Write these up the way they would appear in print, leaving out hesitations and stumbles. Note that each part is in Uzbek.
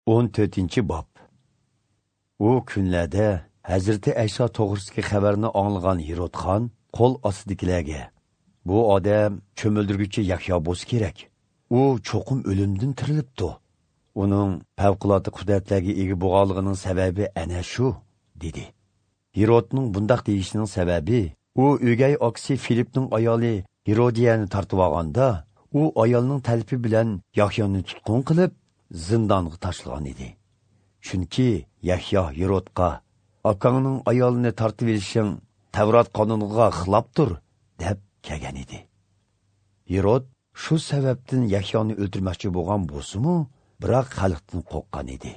14-bob. U kunlarda Hazrati Ayso to'g'risidagi xabarni anglagan Hirot xon qo'l ostidagilarga: "Bu odam cho'mildirguchi Yahyo bo'lsa kerak. U cho'qim o'limdan tirilibdi. Uning favqulodda qudratlarga ega bo'lganligining sababi ana shu", dedi. Hirotning bundaq deyishining sababi u o'gay akasi Filipning ayoli Hirodiyani tortib olganda, u ayolning talabi bilan Yahyoni tutqun qilib zindonga tashlagan edi. Chunki Yahyo Hirotga: "Akangning ayolini tortib olishing Tavrat qonuniga xilofdir", deb kelgan edi. Hirot shu sababdan Yahyoni o'ldirmoqchi bo'lgan bo'lsa-mu, biroq xalqdan qo'rqqan edi.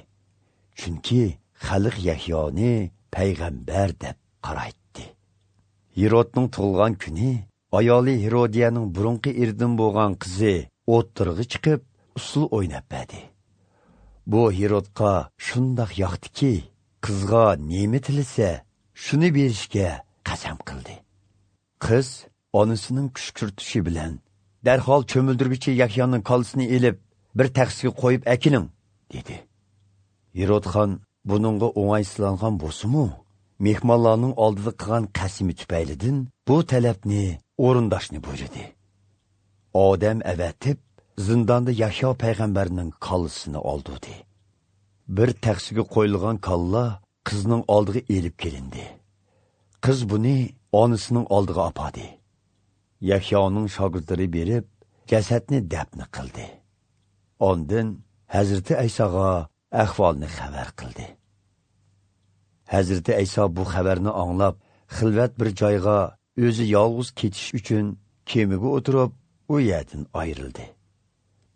Chunki xalq Yahyoni payg'ambar deb qaraydi. Hirotning tug'ilgan kuni ayoli Hirodiyaning burunqi eridan bo'lgan qizi o'ttirg'i chiqib usul o'ynab berdi. Bu Hirotga shundoq yoqdiki, qizga nima tilasa, shuni berishga qasam qildi. Qiz onasining kushkirtishi bilan darhol cho'mildirguchi Yahyoning kolsini elib, bir taxsiga qo'yib akiling, dedi. Hirotxon buningga o'ng'aysizlangan bo'lsa-mu, mehmonlarning oldida qilgan qasmi tufaylidan bu talabni o'rindashni buyurdi. Odam avatib, zindonda Yahyo payg'ambarning kolsini oldi. Bir taxsiga qo'yilgan kalla qizning oldiga elib kelindi. Qiz buni onasining oldiga opadi. Yahyoning shogirdlari berib, jasadni dafn qildi. Ondan Hazrati Aysoga ahvolni xabar qildi. Hazrati Ayso bu xabarni anglab, xilvat bir joyga o'zi yolg'iz ketish uchun kemaga o'tirib, u yerdan ayrildi.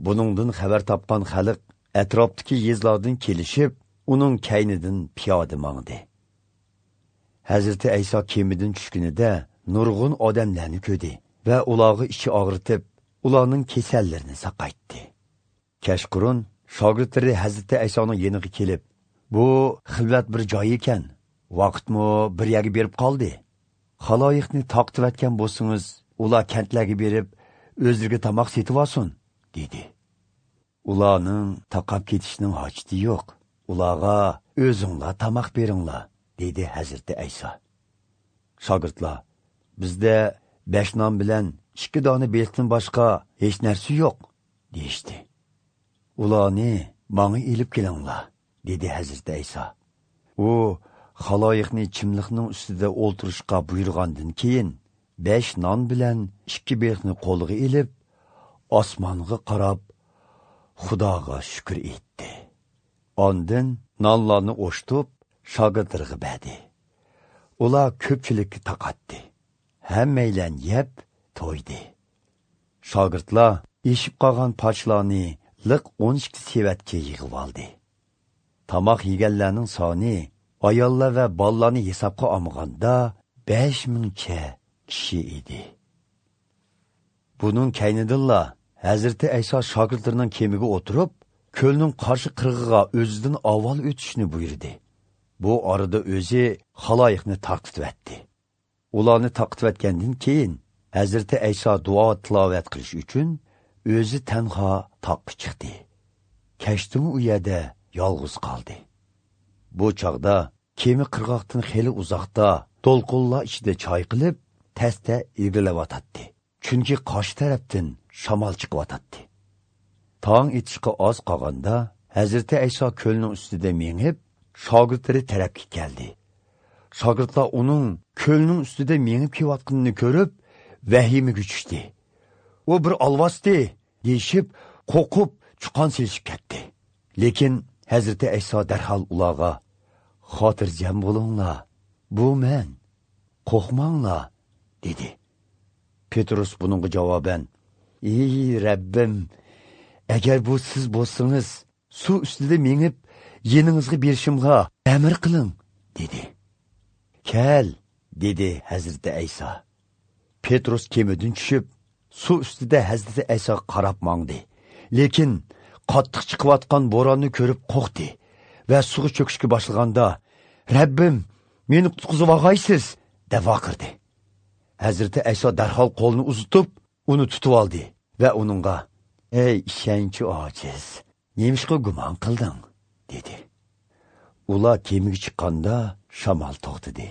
Buningdan xabar topgan xalq atrofdagi yezlardan kelishib, uning kaynidan piyoda mangdi. Hazrati Ayso kemadan tushganida nurg'un odamlarni ko'rdi va ularga ichi og'ritib, ularning kasallarini saqaytdi. Kechqurun shogirdlari Hazrati Aysoning yeniga kelib, "Bu xilvat bir joy ekan, vaqtmi bir yerga berib qoldi. Xaloyiqni taqtivatgan bo'lsangiz, ular kentlarga berib, o'zlariga tomoq setib olsin", dedi. Ularning taqab ketishining hojati yo'q. Ularga o'zinglar tomoq beringlar, dedi Hazrati Ayso. Shogirdlar: "Bizda 5 non bilan 2 dona beliqdan boshqa hech narsa yo'q", deyishdi. "Ularni menga elib kelinglar", dedi Hazrati Ayso. U xaloyiqni chimliqning ustida o'ltirishga buyurgandan keyin 5 non bilan 2 beliqni qo'liga elib, osmonga qarab Xudoga shukr etdi. Ondan nonlarni o'shtib, shogirdlarga berdi. Ular ko'pchilikka taqatdi. Hammaylan yeb to'ydi. Shogirdlar eshib qolgan parchalarni liq 12 sevatga yig'ib oldi. Tomoq yeganlarning soni ayollar va bolalarni hisobga olmaganda 5000cha kishi edi. Buning kaynidilla Hazrati Ayso shogirdlarining kemaga o'tirib, ko'lning qarshi qirg'ig'iga o'zidan avval o'tishni buyurdi. Bu orada o'zi xaloyiqni taqtitvatdi. Ularni taqtitvatgandan keyin Hazrati Ayso duo tilovat qilish uchun o'zi tanho toqqa chiqdi. Kechdim u yerda yolg'iz qoldi. Bu chog'da kema qirg'oqdan xeli uzoqda to'lqinlar ichida chayqilib, tasta ilgarilayotdi. Chunki qarshi tarafdan shamol chiqyotdi. Tong etishga oz qolganda Hazrati Ayso ko'lning ustida mengib, shogirdlari tarafga keldi. Shogirdlar uning ko'lning ustida mengib kelayotganini ko'rib, vahimaga tushdi. "U bir alvosdi", deyishib, qo'rqib, chuqon selishib ketdi. Lekin Hazrati Ayso darhol ularga: "Xotirjam bo'linglar, bu men, qo'rqmanglar", dedi. Petrus buningga javoban: "Ey Rabbim, agar bu siz bo'lsangiz, suv ustida mengib, yeningizga berishimga amr qiling", dedi. "Kel", dedi Hazrati Ayso. Petrus kemadan tushib, suv ustida Hazrati Aysoga qarab mangdi. Lekin qattiq chiqayotgan bo'ronni ko'rib qo'rqdi va suvga cho'kishga boshlaganda: "Rabbim, meni qutqizib olg'aysiz", deb vaqirdi. Hazrati Ayso darhol qo'lini uzatib, uni tutib oldi va uningga: "Ey ishonchi ojiz, nemishqa gumon qilding?" Ular kemaga chiqqanda shamol to'xtadi.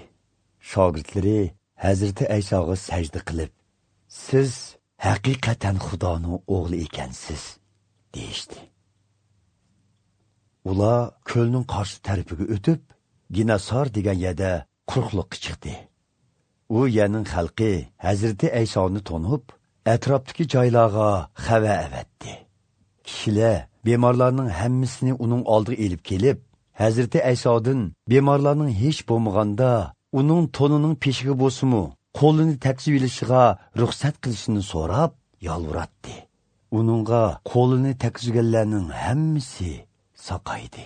Shogirdlari Hazrati Aysoga sajda qilib, "Siz haqiqatan Xudoning o'g'li ekansiz", deyishdi. Ular ko'lning qarshi tarafiga o'tib, Ginasar degan yerda quruqliqqa chiqdi. U yerning xalqi Hazrati Aysoni tonib, atrofdagi joylarga xabar avatdi. Kishilar bemorlarning hammasini uning oldiga elib kelib, Hazrati Aysodan bemorlarning hech bo'lmaganda uning to'nining peshiga bo'lsa-mu, qo'lini tekzib ilishiga ruxsat qilishini so'rab yolvoratdi. Uningga qo'lini tekizganlarning hammasi saqaydi.